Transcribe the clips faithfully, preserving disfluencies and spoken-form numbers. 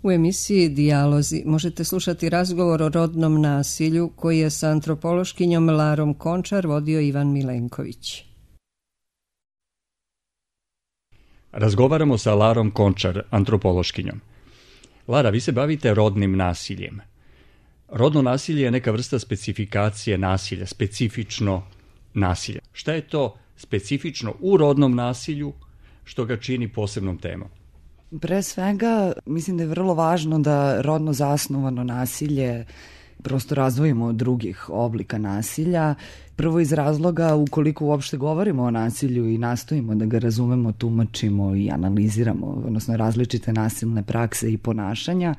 U emisiji Dijalozi možete slušati razgovor o rodnom nasilju koji je sa antropološkinjom Larom Končar vodio Ivan Milenković. Razgovaramo sa Larom Končar, antropološkinjom. Lara, vi se bavite rodnim nasiljem. Rodno nasilje je neka vrsta specifikacije nasilja, specifično nasilje. Šta je to specifično u rodnom nasilju što ga čini posebnom temom? Pre svega, mislim da je vrlo važno da rodno zasnovano nasilje prosto razdvojimo od drugih oblika nasilja. Prvo iz razloga, ukoliko uopšte govorimo o nasilju i nastojimo da ga razumemo, tumačimo i analiziramo, odnosno različite nasilne prakse i ponašanja,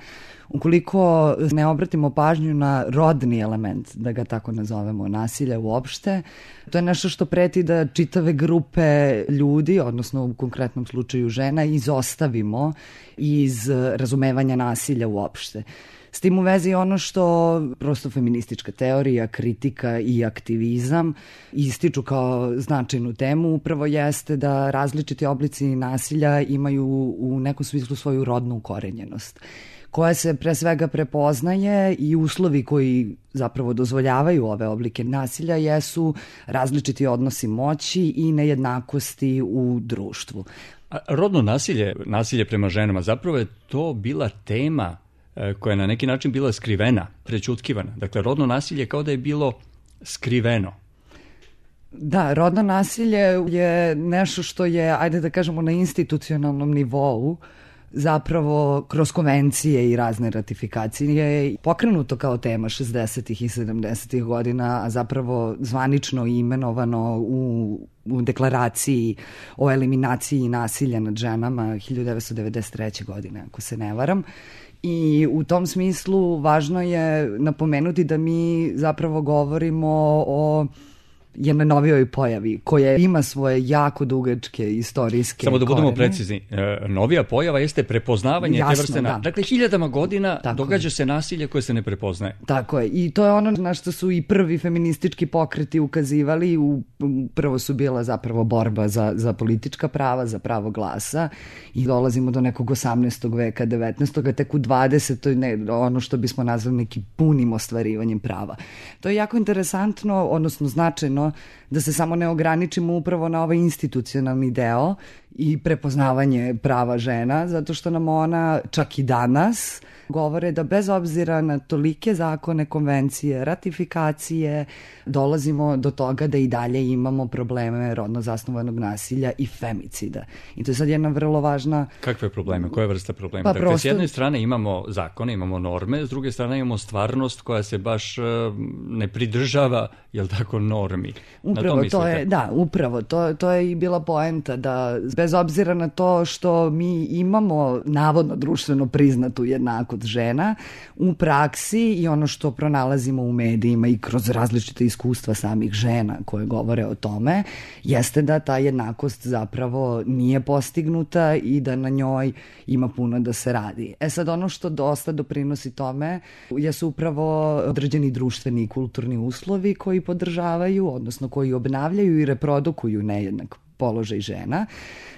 ukoliko ne obratimo pažnju na rodni element, da ga tako nazovemo, nasilja uopšte, to je nešto što preti da čitave grupe ljudi, odnosno u konkretnom slučaju žena, izostavimo iz razumevanja nasilja uopšte. S tim u vezi ono što prosto feministička teorija, kritika i aktivizam ističu kao značajnu temu upravo jeste da različiti oblici nasilja imaju u nekom smislu svoju rodnu ukorenjenost, koja se pre svega prepoznaje i uslovi koji zapravo dozvoljavaju ove oblike nasilja jesu različiti odnosi moći i nejednakosti u društvu. A rodno nasilje, nasilje prema ženama, zapravo je to bila tema koja je na neki način bila skrivena, prećutkivana. Dakle, rodno nasilje kao da je bilo skriveno. Da, rodno nasilje je nešto što je, ajde da kažemo, na institucionalnom nivou zapravo kroz konvencije i razne ratifikacije pokrenuto kao tema šezdesetih i sedamdesetih godina, a zapravo zvanično imenovano u, u deklaraciji o eliminaciji nasilja nad ženama hiljadu devetsto devedeset treće. godine, ako se ne varam. I u tom smislu važno je napomenuti da mi zapravo govorimo o jednoj novijoj pojavi koja ima svoje jako dugačke istorijske Samo da budemo korene. precizni, novija pojava jeste prepoznavanje Jasno, te vrste nasilja. da. Dakle, hiljadama godina Tako događa je. se nasilje koje se ne prepoznaje. Tako je. I to je ono na što su i prvi feministički pokreti ukazivali. U, prvo su bila zapravo borba za, za politička prava, za pravo glasa i dolazimo do nekog osamnaestog veka, devetnaestog a tek u dvadesetom ne, ono što bismo nazvali nekim punim ostvarivanjem prava. To je jako interesantno, odnosno značajno, da se samo ne ograničimo upravo na ovaj institucionalni deo i prepoznavanje prava žena, zato što nam ona čak i danas govore da bez obzira na tolike zakone, konvencije, ratifikacije, dolazimo do toga da i dalje imamo probleme rodno zasnovanog nasilja i femicida. I to je sad jedna vrlo važna... Kakve probleme? Koje vrste problema? Pa dakle, prosto... s jedne strane imamo zakone, imamo norme, s druge strane imamo stvarnost koja se baš uh, ne pridržava, jel tako, normi. Upravo to, to je, da, upravo, to, to je i bila poenta, da bez obzira na to što mi imamo navodno društveno priznatu jednakost žena, u praksi i ono što pronalazimo u medijima i kroz različite iskustva samih žena koje govore o tome, jeste da ta jednakost zapravo nije postignuta i da na njoj ima puno da se radi. E sad, ono što dosta doprinosi tome jesu upravo određeni društveni i kulturni uslovi koji podržavaju, odnosno koji obnavljaju i reprodukuju nejednak položaj žena.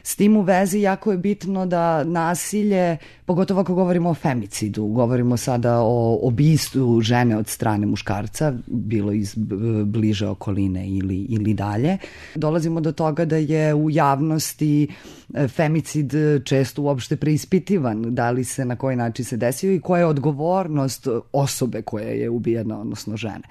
S tim u vezi jako je bitno da nasilje, pogotovo ako govorimo o femicidu, govorimo sada o ubistvu žene od strane muškarca, bilo iz bliže okoline ili, ili dalje, dolazimo do toga da je u javnosti femicid često uopšte preispitivan, da li se, na koji način se desio i koja je odgovornost osobe koja je ubijena, odnosno žene.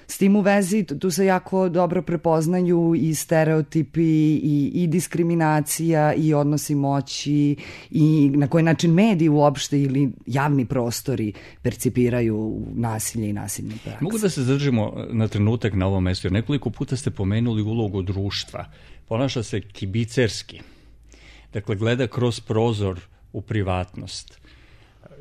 S tim u vezi tu se jako dobro prepoznaju i stereotipi i, i diskriminacija i odnosi moći i na koji način mediji uopšte ili javni prostori percipiraju nasilje i nasilne prakse. Mogu da se zadržimo na trenutak na ovom mestu, jer nekoliko puta ste pomenuli ulogu društva. Ponaša se kibicerski. Dakle, gleda kroz prozor u privatnost.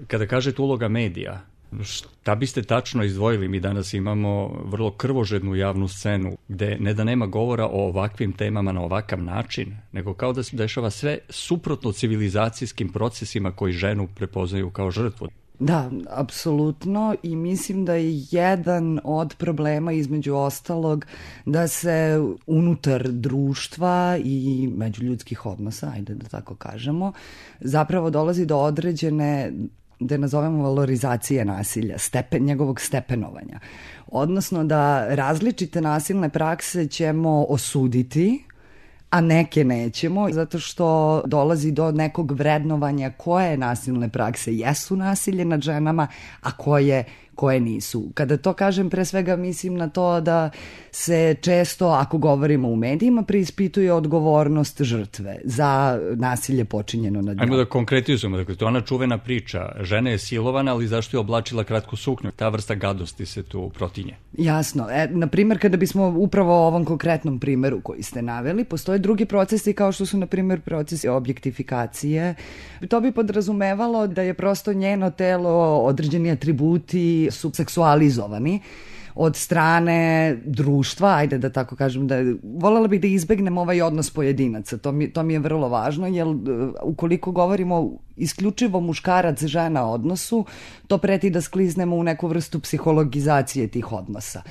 Kada kažete uloga medija, šta biste tačno izdvojili? Mi danas imamo vrlo krvožednu javnu scenu gde ne da nema govora o ovakvim temama na ovakav način, nego kao da se dešava sve suprotno civilizacijskim procesima koji ženu prepoznaju kao žrtvu. Da, apsolutno, i mislim da je jedan od problema između ostalog da se unutar društva i međuljudskih odnosa, ajde da tako kažemo, zapravo dolazi do određene da nazovemo valorizacije nasilja, stepen, njegovog stepenovanja. Odnosno da različite nasilne prakse ćemo osuditi, a neke nećemo, zato što dolazi do nekog vrednovanja koje nasilne prakse jesu nasilje nad ženama, a koje koje nisu. Kada to kažem, pre svega mislim na to da se često, ako govorimo u medijima, preispituje odgovornost žrtve za nasilje počinjeno nad njom. Ajmo da konkretizujemo, dakle, to je ona čuvena priča. Žena je silovana, ali zašto je oblačila kratku suknju? Ta vrsta gadosti se tu protinje. Jasno. E, na primjer, kada bismo upravo o ovom konkretnom primjeru koji ste naveli, postoje drugi procesi kao što su, na primjer, procesi objektifikacije. To bi podrazumevalo da je prosto njeno telo, određeni atributi su seksualizovani od strane društva, ajde da tako kažem, da voljela bih da izbegnem ovaj odnos pojedinaca, to mi, to mi je vrlo važno, jer ukoliko govorimo isključivo muškarac-žena odnosu, to preti da skliznemo u neku vrstu psihologizacije tih odnosa.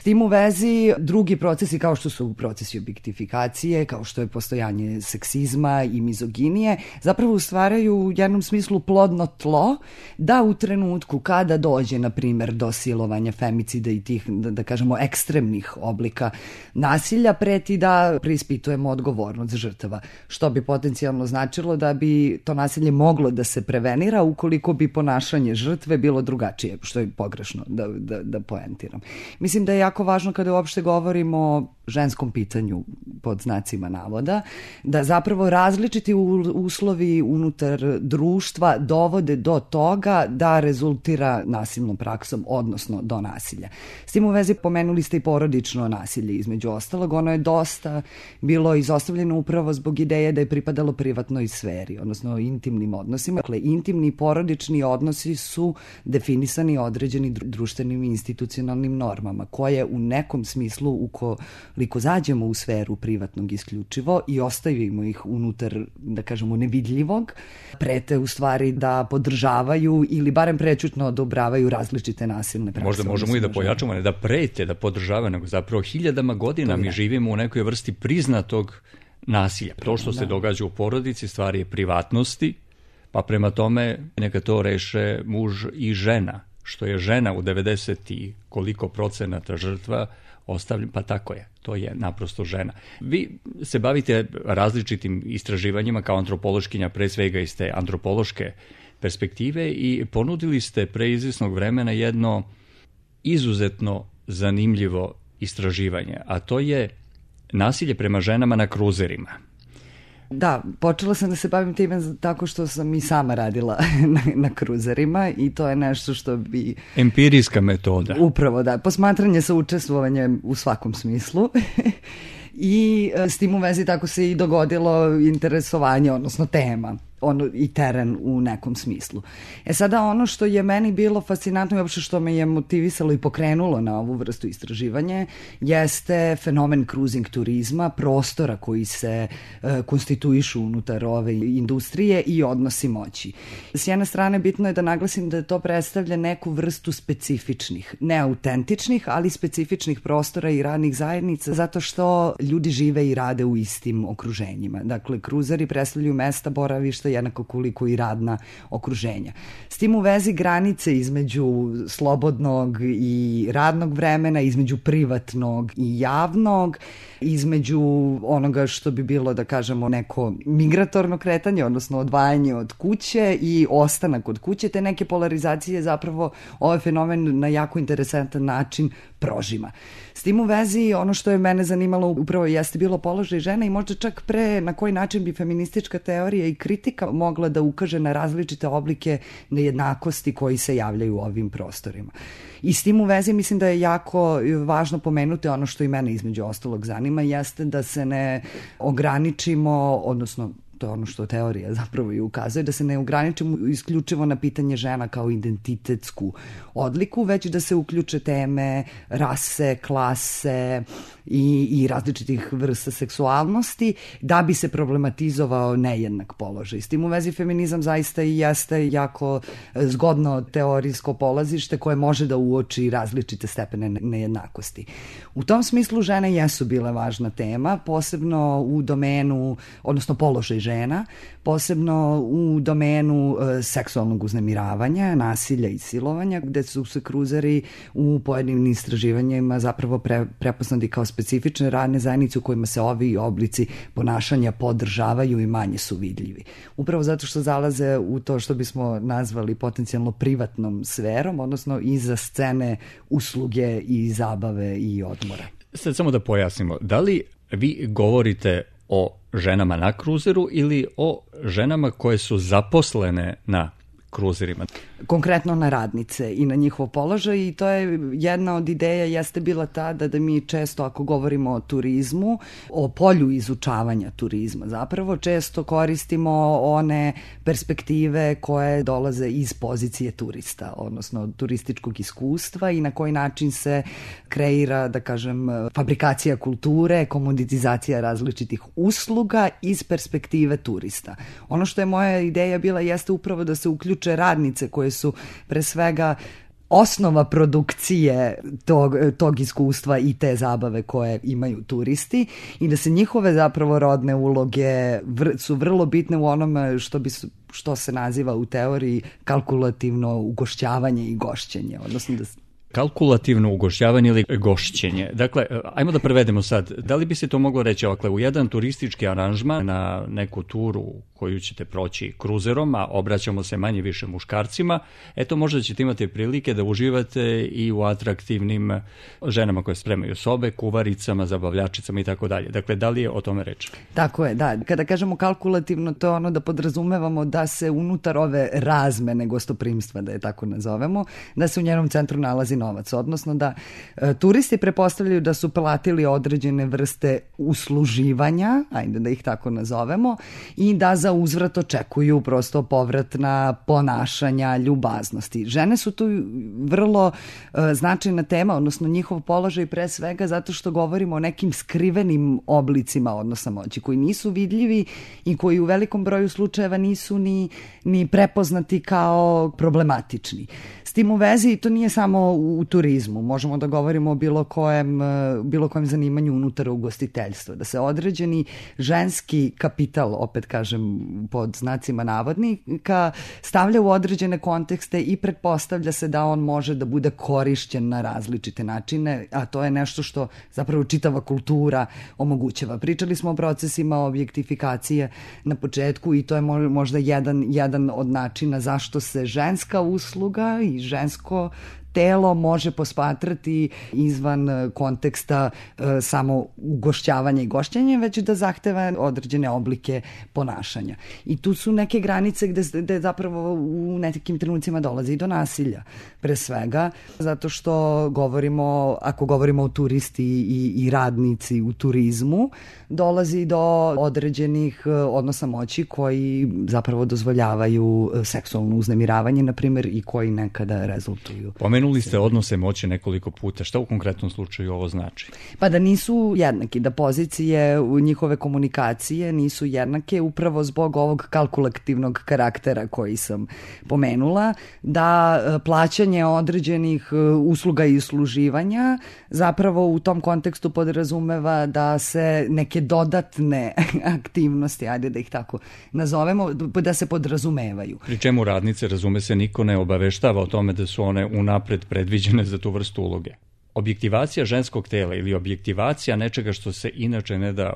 S tim u vezi drugi procesi kao što su procesi objektifikacije, kao što je postojanje seksizma i mizoginije, zapravo stvaraju u jednom smislu plodno tlo da u trenutku kada dođe, na primjer, do silovanja, femicida i tih, da, da kažemo, ekstremnih oblika nasilja, preti da preispitujemo odgovornost žrtava, što bi potencijalno značilo da bi to nasilje moglo da se prevenira ukoliko bi ponašanje žrtve bilo drugačije, što je pogrešno da, da, da poentiram. Mislim da je jako važno kada uopšte govorimo o ženskom pitanju pod znacima navoda, da zapravo različiti uslovi unutar društva dovode do toga da rezultira nasilnom praksom, odnosno do nasilja. S tim u vezi pomenuli ste i porodično nasilje, između ostalog. Ono je dosta bilo izostavljeno upravo zbog ideje da je pripadalo privatnoj sferi, odnosno intimnim odnosima. Dakle, intimni i porodični odnosi su definisani određeni društvenim i institucionalnim normama, koje u nekom smislu, ukoliko zađemo u sferu privatnog isključivo i ostavimo ih unutar, da kažemo, nevidljivog, prete u stvari da podržavaju ili barem prećutno odobravaju različite nasilne prakse. Možda možemo i da pojačamo, ne da prete, da podržavaju, nego zapravo hiljadama godina mi živimo u nekoj vrsti priznatog nasilja. To što se događa u porodici stvari je privatnosti, pa prema tome neka to reše muž i žena. Što je žena u devedeset i koliko procenata žrtva ostavljen, pa tako je, to je naprosto žena. Vi se bavite različitim istraživanjima kao antropološkinja, pre svega iz te antropološke perspektive, i ponudili ste pre izvjesnog vremena jedno izuzetno zanimljivo istraživanje, a to je nasilje prema ženama na kruzerima. Da, počela sam da se bavim time tako što sam i sama radila na, na kruzerima i to je nešto što bi... Empirijska metoda. Upravo, da. Posmatranje sa učestvovanjem u svakom smislu. I s tim u vezi tako se i dogodilo interesovanje, odnosno tema. Ono, i teren u nekom smislu. E sada ono što je meni bilo fascinantno i uopšte što me je motivisalo i pokrenulo na ovu vrstu istraživanja jeste fenomen cruising turizma, prostora koji se e, konstituišu unutar ove industrije i odnosi moći. S jedne strane bitno je da naglasim da to predstavlja neku vrstu specifičnih, ne autentičnih, ali specifičnih prostora i radnih zajednica, zato što ljudi žive i rade u istim okruženjima. Dakle, kruzeri predstavljaju mesta boravišta jednako koliko i radna okruženja. S tim u vezi granice između slobodnog i radnog vremena, između privatnog i javnog, između onoga što bi bilo, da kažemo, neko migratorno kretanje, odnosno odvajanje od kuće i ostanak od kuće, te neke polarizacije zapravo ovaj fenomen na jako interesantan način prožima. S tim u vezi, ono što je mene zanimalo upravo jeste bilo položaj žena i možda čak pre na koji način bi feministička teorija i kritika mogla da ukaže na različite oblike nejednakosti koji se javljaju u ovim prostorima. I s tim u vezi mislim da je jako važno pomenuti ono što i mene između ostalog zanima, jeste da se ne ograničimo, odnosno to je ono što teorija zapravo i ukazuje, da se ne ograničimo isključivo na pitanje žena kao identitetsku odliku, već da se uključe teme rase, klase i, i različitih vrsta seksualnosti, da bi se problematizovao nejednak položaj. S tim u vezi feminizam zaista i jeste jako zgodno teorijsko polazište koje može da uoči različite stepene nejednakosti. U tom smislu žene jesu bile važna tema, posebno u domenu, odnosno položaj žena žena, posebno u domenu e, seksualnog uznemiravanja, nasilja i silovanja, gde su se kruzeri u pojedinim istraživanjima zapravo pre, prepoznati kao specifične radne zajednice u kojima se ovi oblici ponašanja podržavaju i manje su vidljivi. Upravo zato što zalaze u to što bismo nazvali potencijalno privatnom sferom, odnosno iza scene usluge i zabave i odmora. Sad samo da pojasnimo, da li vi govorite o ženama na kruzeru ili o ženama koje su zaposlene na kruzerima? Konkretno na radnice i na njihov položaj, i to je jedna od ideja jeste bila ta da, da mi često ako govorimo o turizmu, o polju izučavanja turizma zapravo, često koristimo one perspektive koje dolaze iz pozicije turista, odnosno turističkog iskustva i na koji način se kreira, da kažem, fabrikacija kulture, komoditizacija različitih usluga iz perspektive turista. Ono što je moja ideja bila jeste upravo da se uključe radnice koje su pre svega osnova produkcije tog, tog iskustva i te zabave koje imaju turisti i da se njihove zapravo rodne uloge vr, su vrlo bitne u onome što bi što se naziva u teoriji kalkulativno ugošćavanje i gošćenje, odnosno da kalkulativno ugošćavanje ili gošćenje. Dakle, ajmo da prevedemo sad. Da li bi se to moglo reći ovakle, u jedan turistički aranžman na neku turu koju ćete proći kruzerom, a obraćamo se manje više muškarcima, eto možda ćete imati prilike da uživate i u atraktivnim ženama koje spremaju sobe, kuvaricama, zabavljačicama i tako dalje. Dakle, da li je o tome reč? Tako je, da. Kada kažemo kalkulativno, to je ono da podrazumevamo da se unutar ove razmene gostoprimstva, da je tako nazovemo, da se u njenom centru nalazi novac, odnosno da e, turisti prepostavljaju da su platili određene vrste usluživanja, ajde da ih tako nazovemo, i da za uzvrat očekuju prosto povratna ponašanja, ljubaznosti. Žene su tu vrlo e, značajna tema, odnosno njihov položaj pre svega zato što govorimo o nekim skrivenim oblicima odnosa moći koji nisu vidljivi i koji u velikom broju slučajeva nisu ni, ni prepoznati kao problematični. S tim u vezi, to nije samo u turizmu, možemo da govorimo o bilo kojem, bilo kojem zanimanju unutar ugostiteljstva, da se određeni ženski kapital, opet kažem pod znacima navodnika, stavlja u određene kontekste i pretpostavlja se da on može da bude korišćen na različite načine, a to je nešto što zapravo čitava kultura omogućava. Pričali smo o procesima objektifikacije na početku i to je možda jedan, jedan od načina zašto se ženska usluga i žensko telo može posmatrati izvan konteksta e, samo ugošćavanja i gošćenja, već da zahteva određene oblike ponašanja. I tu su neke granice gde, gde zapravo u nekim trenucima dolazi i do nasilja. Pre svega, zato što govorimo, ako govorimo o turisti i, i radnici u turizmu, dolazi do određenih odnosa moći koji zapravo dozvoljavaju seksualno uznemiravanje, na primjer, i koji nekada rezultuju. Pomenuli ste odnose moći nekoliko puta. Šta u konkretnom slučaju ovo znači? Pa da nisu jednaki, da pozicije u njihove komunikacije nisu jednake upravo zbog ovog kalkulativnog karaktera koji sam pomenula, da plaćanje određenih usluga i usluživanja zapravo u tom kontekstu podrazumeva da se neke dodatne aktivnosti, ajde da ih tako nazovemo, da se podrazumevaju. Pri čemu radnice, razume se, niko ne obaveštava o tome da su one unapred predviđene za tu vrstu uloge. Objektivacija ženskog tela ili objektivacija nečega što se inače ne da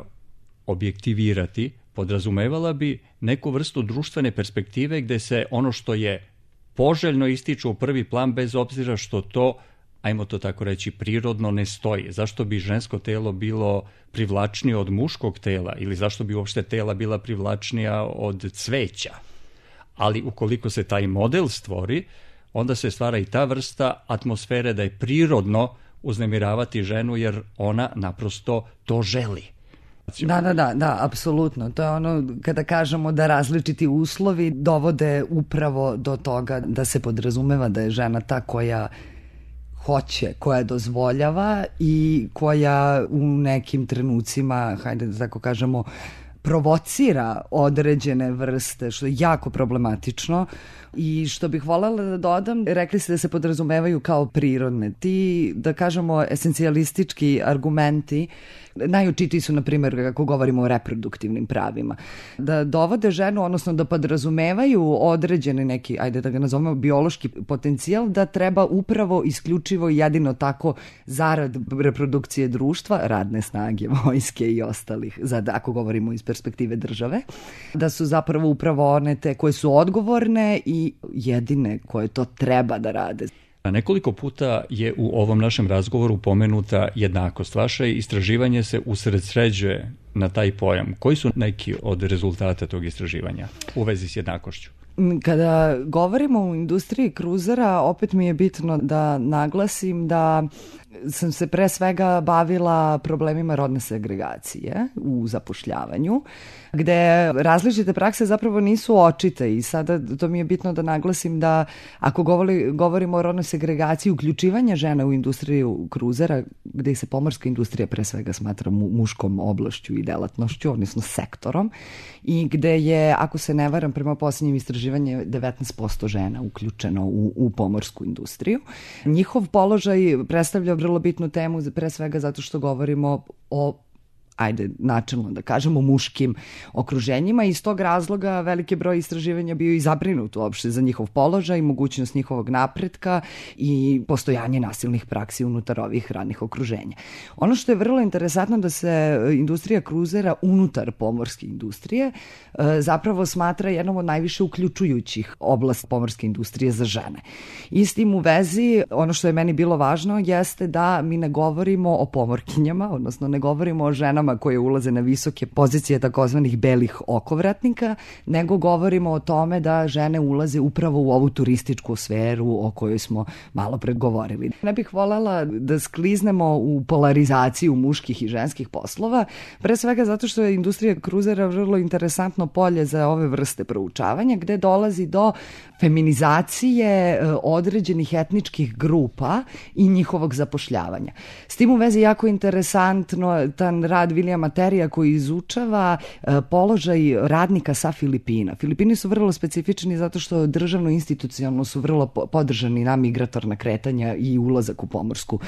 objektivirati podrazumevala bi neku vrstu društvene perspektive gde se ono što je poželjno ističe u prvi plan bez obzira što to, ajmo to tako reći, prirodno ne stoji. Zašto bi žensko telo bilo privlačnije od muškog tela ili zašto bi uopšte tela bila privlačnija od cveća? Ali ukoliko se taj model stvori, onda se stvara i ta vrsta atmosfere da je prirodno uznemiravati ženu jer ona naprosto to želi. Da, da, da, da, apsolutno. To je ono kada kažemo da različiti uslovi dovode upravo do toga da se podrazumeva da je žena ta koja hoće, koja dozvoljava i koja u nekim trenucima, hajde da tako kažemo, provocira određene vrste, što je jako problematično. I što bih voljela da dodam, rekli ste da se podrazumevaju kao prirodne. Ti, da kažemo, esencijalistički argumenti najočitiji su, na primjer, kako govorimo o reproduktivnim pravima, da dovode ženu, odnosno da podrazumevaju određene neki, ajde da ga nazovemo, biološki potencijal, da treba upravo isključivo i jedino tako zarad reprodukcije društva, radne snage, vojske i ostalih, za, ako govorimo iz perspektive države, da su zapravo upravo one te koje su odgovorne i jedine koje to treba da rade. Nekoliko puta je u ovom našem razgovoru pomenuta jednakost. Vaše istraživanje se usredsređuje na taj pojam. Koji su neki od rezultata tog istraživanja u vezi s jednakošću? Kada govorimo o industriji kruzera, opet mi je bitno da naglasim da sam se pre svega bavila problemima rodne segregacije u zapošljavanju, gde različite prakse zapravo nisu očite i sada to mi je bitno da naglasim da ako govori, govorimo o rodnoj segregaciji uključivanja žena u industriju kruzera, gde se pomorska industrija pre svega smatra mu, muškom oblašću i delatnošću, odnosno sektorom, i gde je, ako se ne varam, prema posljednjim istraživanju devetnaest posto žena uključeno u, u pomorsku industriju. Njihov položaj predstavlja vrlo bitnu temu, pre svega zato što govorimo o, ajde, načelno da kažemo, muškim okruženjima i iz tog razloga veliki broj istraživanja bio i zabrinut uopšte za njihov položaj, mogućnost njihovog napretka i postojanje nasilnih praksi unutar ovih radnih okruženja. Ono što je vrlo interesantno da se industrija kruzera unutar pomorske industrije zapravo smatra jednom od najviše uključujućih oblast pomorske industrije za žene. I s tim u vezi, ono što je meni bilo važno jeste da mi ne govorimo o pomorkinjama, odnosno ne govorimo o ženama koje ulaze na visoke pozicije takozvanih belih okovratnika, nego govorimo o tome da žene ulaze upravo u ovu turističku sferu o kojoj smo malo pregovorili. Ne bih voljela da skliznemo u polarizaciju muških i ženskih poslova, pre svega zato što je industrija kruzera vrlo interesantno polje za ove vrste proučavanja, gde dolazi do feminizacije određenih etničkih grupa i njihovog zapošljavanja. S tim u vezi jako interesantno tan rad Vilijama Terija koji izučava položaj radnika sa Filipina. Filipini su vrlo specifični zato što državno institucionalno su vrlo podržani na migratorna kretanja i ulazak u pomorsku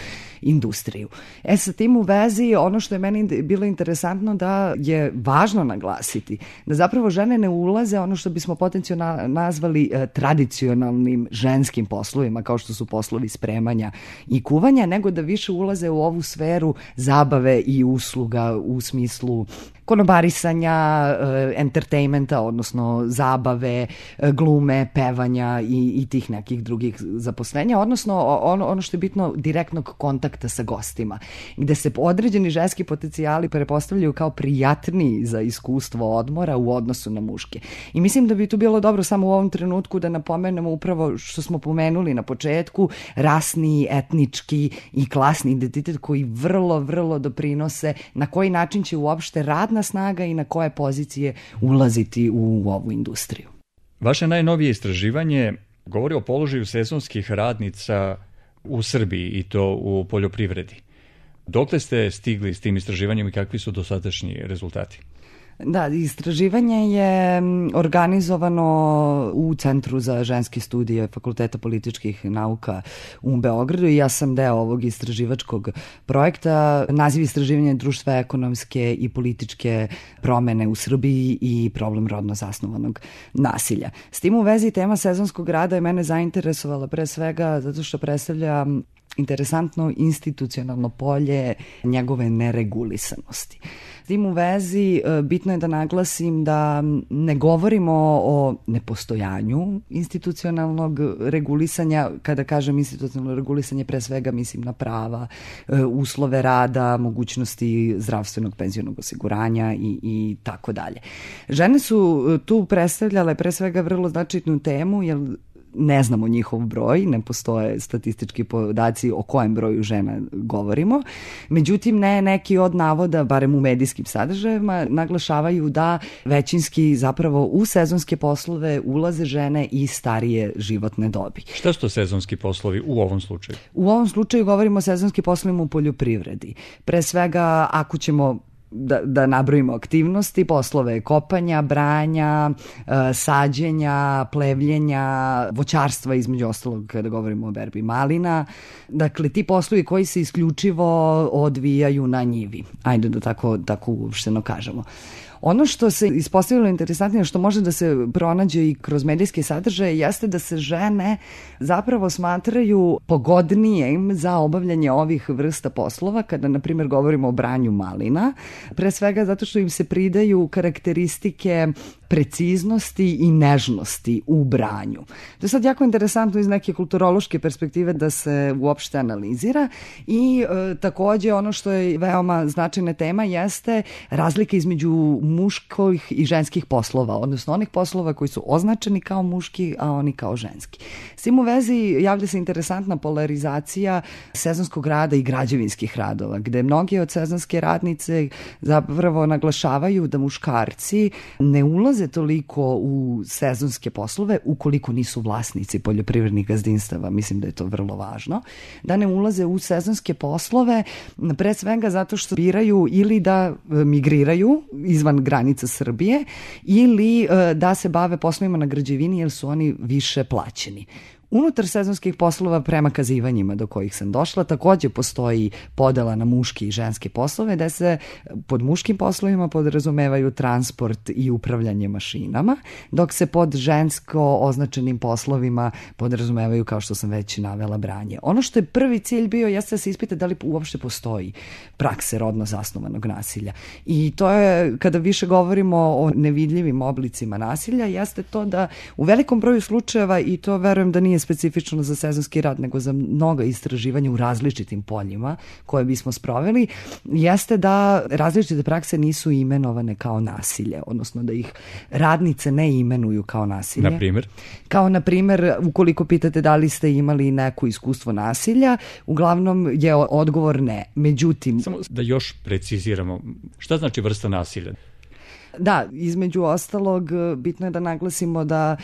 industriju. E sa tim u vezi ono što je meni bilo interesantno da je važno naglasiti da zapravo žene ne ulaze ono što bismo potencijalno nazvali tradicionalnim ženskim poslovima kao što su poslovi spremanja i kuvanja, nego da više ulaze u ovu sferu zabave i usluga u smislu konobarisanja, entertainmenta, odnosno zabave, glume, pevanja i, i tih nekih drugih zaposlenja, odnosno ono, ono što je bitno direktnog kontakta sa gostima, gde se određeni ženski potencijali prepostavljaju kao prijatniji za iskustvo odmora u odnosu na muške. I mislim da bi tu bilo dobro samo u ovom trenutku da napomenemo upravo što smo pomenuli na početku, rasni, etnički i klasni identitet koji vrlo, vrlo doprinose na koji način će uopšte radna snaga i na koje pozicije ulaziti u ovu industriju. Vaše najnovije istraživanje govori o položaju sezonskih radnica u Srbiji i to u poljoprivredi. Dokle ste stigli s tim istraživanjem i kakvi su dosadašnji rezultati? Da, istraživanje je organizovano u Centru za ženske studije Fakulteta političkih nauka u Beogradu i ja sam deo ovog istraživačkog projekta. Naziv istraživanja je društva ekonomske i političke promene u Srbiji i problem rodno zasnovanog nasilja. S tim u vezi tema sezonskog rada je mene zainteresovala pre svega zato što predstavlja interesantno institucionalno polje njegove neregulisanosti. S tim u vezi bitno je da naglasim da ne govorimo o nepostojanju institucionalnog regulisanja. Kada kažem institucionalno regulisanje, pre svega mislim na prava, uslove rada, mogućnosti zdravstvenog penzionog osiguranja i, i tako dalje. Žene su tu predstavljale pre svega vrlo značajnu temu, jer ne znamo njihov broj, ne postoje statistički podaci o kojem broju žena govorimo. Međutim, ne neki od navoda, barem u medijskim sadržajima, naglašavaju da većinski zapravo u sezonske poslove ulaze žene i starije životne dobi. Šta su to sezonski poslovi u ovom slučaju? U ovom slučaju govorimo o sezonskim poslovima u poljoprivredi. Pre svega, ako ćemo da, da nabrojimo aktivnosti, poslove kopanja, branja, sađenja, plevljenja, voćarstva, između ostalog kada govorimo o berbi malina. Dakle, ti poslovi koji se isključivo odvijaju na njivi. Ajde da tako, tako uopšteno kažemo. Ono što se ispostavilo interesantnije, što može da se pronađe i kroz medijske sadržaje, jeste da se žene zapravo smatraju pogodnijim za obavljanje ovih vrsta poslova, kada, na primjer, govorimo o branju malina, pre svega zato što im se pridaju karakteristike preciznosti i nežnosti u branju. To je sad jako interesantno iz neke kulturološke perspektive da se uopšte analizira i e, takođe ono što je veoma značajna tema jeste razlika između muških i ženskih poslova, odnosno onih poslova koji su označeni kao muški, a oni kao ženski. S tim u vezi javlja se interesantna polarizacija sezonskog rada i građevinskih radova, gde mnogi od sezonske radnice zapravo naglašavaju da muškarci ne ulaze toliko u sezonske poslove ukoliko nisu vlasnici poljoprivrednih gazdinstava. Mislim da je to vrlo važno. Da ne ulaze u sezonske poslove pre svega zato što biraju ili da migriraju izvan granica Srbije ili da se bave poslovima na građevini jer su oni više plaćeni. Unutar sezonskih poslova prema kazivanjima do kojih sam došla takođe postoji podela na muški i ženske poslove, da se pod muškim poslovima podrazumevaju transport i upravljanje mašinama, dok se pod žensko označenim poslovima podrazumevaju, kao što sam već navela, branje. Ono što je prvi cilj bio jeste da se ispita da li uopšte postoji prakse rodno zasnovanog nasilja. I to je, kada više govorimo o nevidljivim oblicima nasilja, jeste to da u velikom broju slučajeva, i to verujem da nije specifično za sezonski rad, nego za mnoga istraživanja u različitim poljima koje bismo sproveli, jeste da različite prakse nisu imenovane kao nasilje, odnosno da ih radnice ne imenuju kao nasilje. Na primjer? Kao, na primjer, ukoliko pitate da li ste imali neko iskustvo nasilja, uglavnom je odgovor ne. Međutim... Samo da još preciziramo, šta znači vrsta nasilja? Da, između ostalog, bitno je da naglasimo da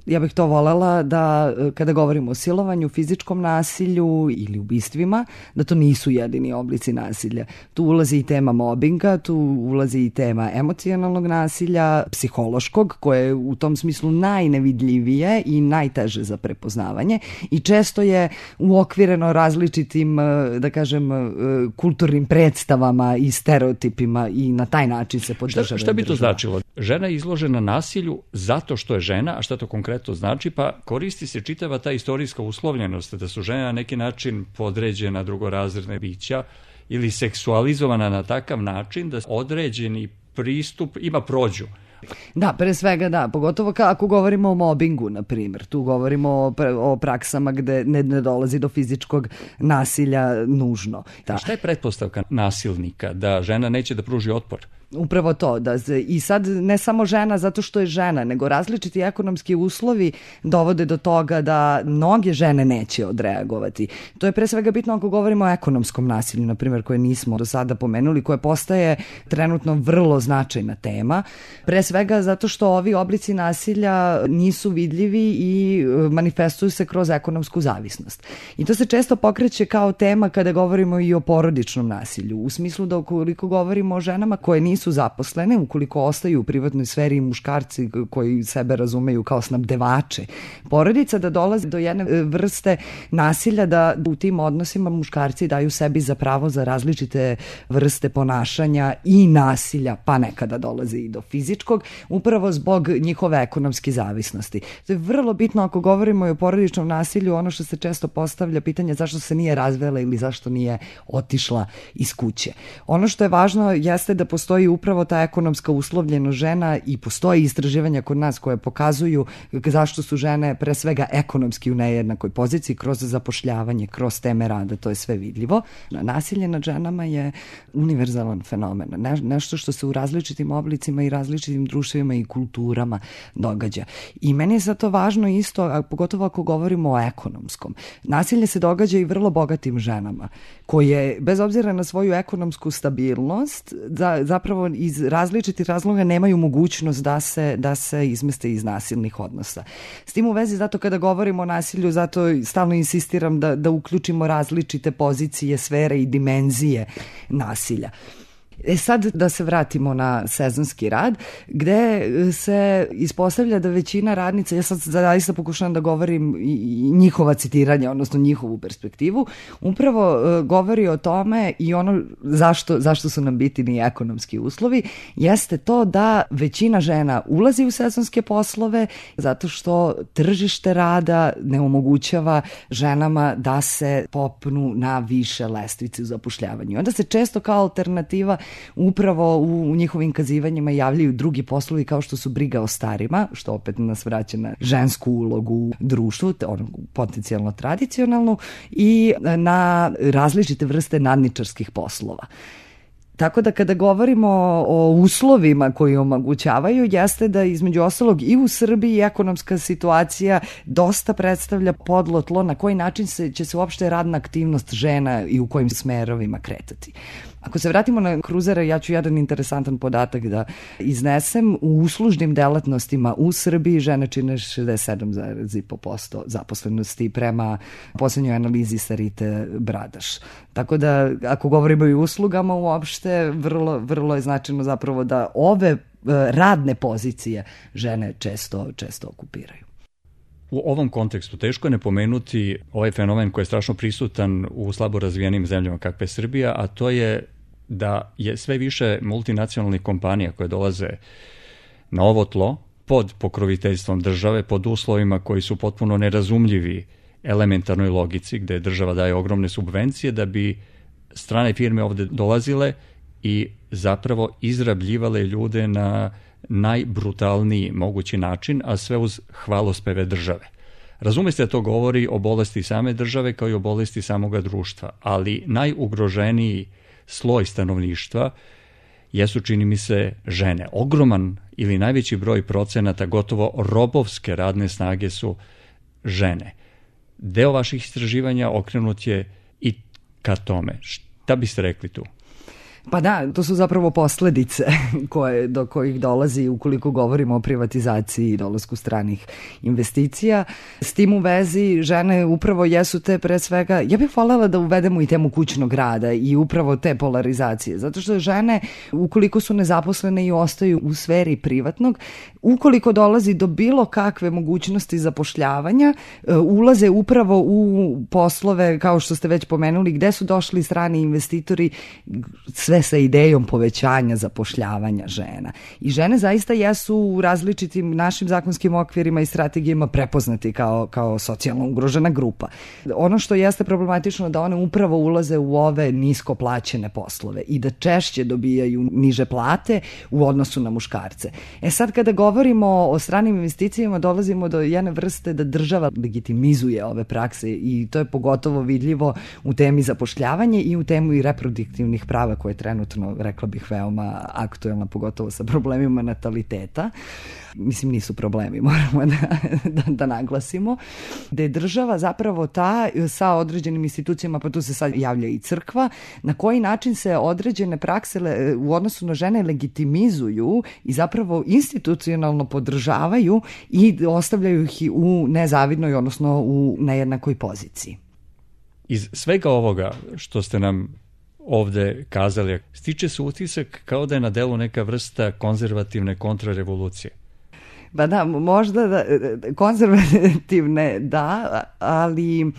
ja bih to volela da kada govorimo o silovanju, fizičkom nasilju ili ubistvima, da to nisu jedini oblici nasilja. Tu ulazi i tema mobinga, tu ulazi i tema emocionalnog nasilja, psihološkog, koje je u tom smislu najnevidljivije i najteže za prepoznavanje i često je uokvireno različitim, da kažem, kulturnim predstavama i stereotipima i na taj način se podržava. Šta, šta bi to značilo? Žena je izložena nasilju zato što je žena, a šta to konkretno znači? Pa koristi se čitava ta istorijska uslovljenost da su žene na neki način podređena drugorazredne bića ili seksualizovana na takav način da određeni pristup ima prođu. Da, pre svega da, pogotovo ako govorimo o mobingu, na primjer, tu govorimo o, o praksama gde ne, ne dolazi do fizičkog nasilja nužno. Da. Šta je pretpostavka nasilnika? Da žena neće da pruži otpor? Upravo to, da se, i sad ne samo žena zato što je žena, nego različiti ekonomski uslovi dovode do toga da mnoge žene neće odreagovati. To je pre svega bitno ako govorimo o ekonomskom nasilju, na primjer, koje nismo do sada pomenuli, koje postaje trenutno vrlo značajna tema. Pre svega zato što ovi oblici nasilja nisu vidljivi i manifestuju se kroz ekonomsku zavisnost. I to se često pokreće kao tema kada govorimo i o porodičnom nasilju, u smislu da ukoliko govorimo o ženama koje nisu su zaposlene, ukoliko ostaju u privatnoj sferi muškarci koji sebe razumeju kao snabdevače porodica, da dolazi do jedne vrste nasilja da u tim odnosima muškarci daju sebi za pravo za različite vrste ponašanja i nasilja, pa nekada dolazi i do fizičkog, upravo zbog njihove ekonomske zavisnosti. To je vrlo bitno ako govorimo i o porodičnom nasilju, ono što se često postavlja pitanje zašto se nije razvela ili zašto nije otišla iz kuće. Ono što je važno jeste da postoji upravo ta ekonomska uslovljenost žena i postoji istraživanja kod nas koje pokazuju zašto su žene pre svega ekonomski u nejednakoj poziciji kroz zapošljavanje, kroz teme rada, to je sve vidljivo. Nasilje nad ženama je univerzalan fenomen, ne, nešto što se u različitim oblicima i različitim društvima i kulturama događa. I meni je sad to važno isto, a pogotovo ako govorimo o ekonomskom. Nasilje se događa i vrlo bogatim ženama, koje bez obzira na svoju ekonomsku stabilnost za, zapravo iz različitih razloga nemaju mogućnost da se, da se izmeste iz nasilnih odnosa. S tim u vezi, zato kada govorimo o nasilju, zato stalno insistiram da, da uključimo različite pozicije, sfere i dimenzije nasilja. E sad da se vratimo na sezonski rad, gde se ispostavlja da većina radnica, ja sad zaista pokušavam da govorim i njihova citiranja, odnosno njihovu perspektivu, upravo govori o tome i ono zašto, zašto su nam bitni ekonomski uslovi, jeste to da većina žena ulazi u sezonske poslove zato što tržište rada ne omogućava ženama da se popnu na više lestvice u zapošljavanju. Onda se često kao alternativa upravo u njihovim kazivanjima javljaju drugi poslovi kao što su briga o starima, što opet nas vraća na žensku ulogu u društvu, ono, potencijalno tradicionalnu, i na različite vrste nadničarskih poslova. Tako da kada govorimo o uslovima koji omogućavaju, jeste da između ostalog i u Srbiji ekonomska situacija dosta predstavlja podlo tlo na koji način se, će se uopšte radna aktivnost žena i u kojim smerovima kretati. Ako se vratimo na kruzere, ja ću jedan interesantan podatak da iznesem. U uslužnim delatnostima u Srbiji žene čine šezdeset sedam zarez pet posto zaposlenosti prema poslednjoj analizi Sarite Bradaš. Tako da, ako govorimo i o uslugama uopšte, vrlo, vrlo je značajno zapravo da ove radne pozicije žene često, često okupiraju. U ovom kontekstu teško je ne pomenuti ovaj fenomen koji je strašno prisutan u slabo razvijenim zemljama kakva je Srbija, a to je da je sve više multinacionalnih kompanija koje dolaze na ovo tlo pod pokroviteljstvom države, pod uslovima koji su potpuno nerazumljivi elementarnoj logici, gde država daje ogromne subvencije da bi strane firme ovde dolazile i zapravo izrabljivale ljude na najbrutalniji mogući način, a sve uz hvalospeve države. Razume se da to govori o bolesti same države kao i o bolesti samoga društva, ali najugroženiji sloj stanovništva jesu, čini mi se, žene. Ogroman ili najveći broj procenata gotovo robovske radne snage su žene. Deo vaših istraživanja okrenut je i ka tome. Šta biste rekli tu? Pa da, to su zapravo posledice koje, do kojih dolazi ukoliko govorimo o privatizaciji i dolasku stranih investicija. S tim u vezi žene upravo jesu te pre svega, ja bih voljela da uvedemo i temu kućnog rada i upravo te polarizacije, zato što žene ukoliko su nezaposlene i ostaju u sferi privatnog, ukoliko dolazi do bilo kakve mogućnosti zapošljavanja, ulaze upravo u poslove, kao što ste već pomenuli, gde su došli strani investitori, sve sa idejom povećanja zapošljavanja žena. I žene zaista jesu u različitim našim zakonskim okvirima i strategijama prepoznati kao, kao socijalno ugrožena grupa. Ono što jeste problematično da one upravo ulaze u ove nisko plaćene poslove i da češće dobijaju niže plate u odnosu na muškarce. E sad kada govorimo o stranim investicijama dolazimo do jedne vrste da država legitimizuje ove prakse i to je pogotovo vidljivo u temi zapošljavanja i u temu i reproduktivnih prava koje trenutno, rekla bih, veoma aktuelna, pogotovo sa problemima nataliteta. Mislim, nisu problemi, moramo da, da, da naglasimo. Da je država zapravo ta sa određenim institucijama, pa tu se sad javlja i crkva, na koji način se određene prakse u odnosu na žene legitimizuju i zapravo institucionalno podržavaju i ostavljaju ih u nezavidnoj, odnosno u nejednakoj poziciji. Iz svega ovoga što ste nam ovde kazali, stiče se utisak kao da je na delu neka vrsta konzervativne kontrarevolucije. Pa da, možda da, konzervativne da, ali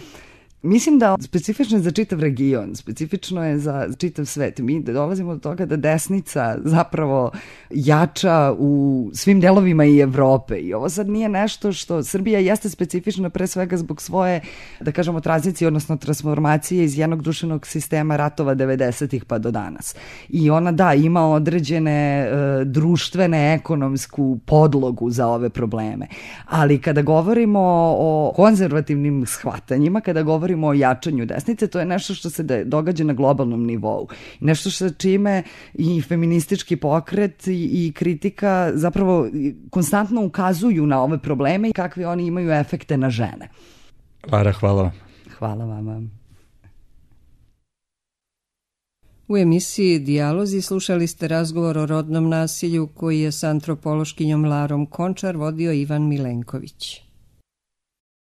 mislim da specifično je za čitav region, specifično je za čitav svet. Mi dolazimo do toga da desnica zapravo jača u svim delovima i Evrope i ovo sad nije nešto što Srbija jeste specifična pre svega zbog svoje, da kažemo, tranzicije, odnosno transformacije iz jednog društvenog sistema ratova devedesetih pa do danas. I ona da, ima određene e, društvene, ekonomsku podlogu za ove probleme. Ali kada govorimo o konzervativnim shvatanjima, kada govorimo o jačanju desnice, to je nešto što se događa na globalnom nivou. Nešto što čime i feministički pokret i, i kritika zapravo konstantno ukazuju na ove probleme i kakve oni imaju efekte na žene. Lara, hvala. Hvala vama. U emisiji Dijalozi slušali ste razgovor o rodnom nasilju koji je s antropološkinjom Larom Končar vodio Ivan Milenković.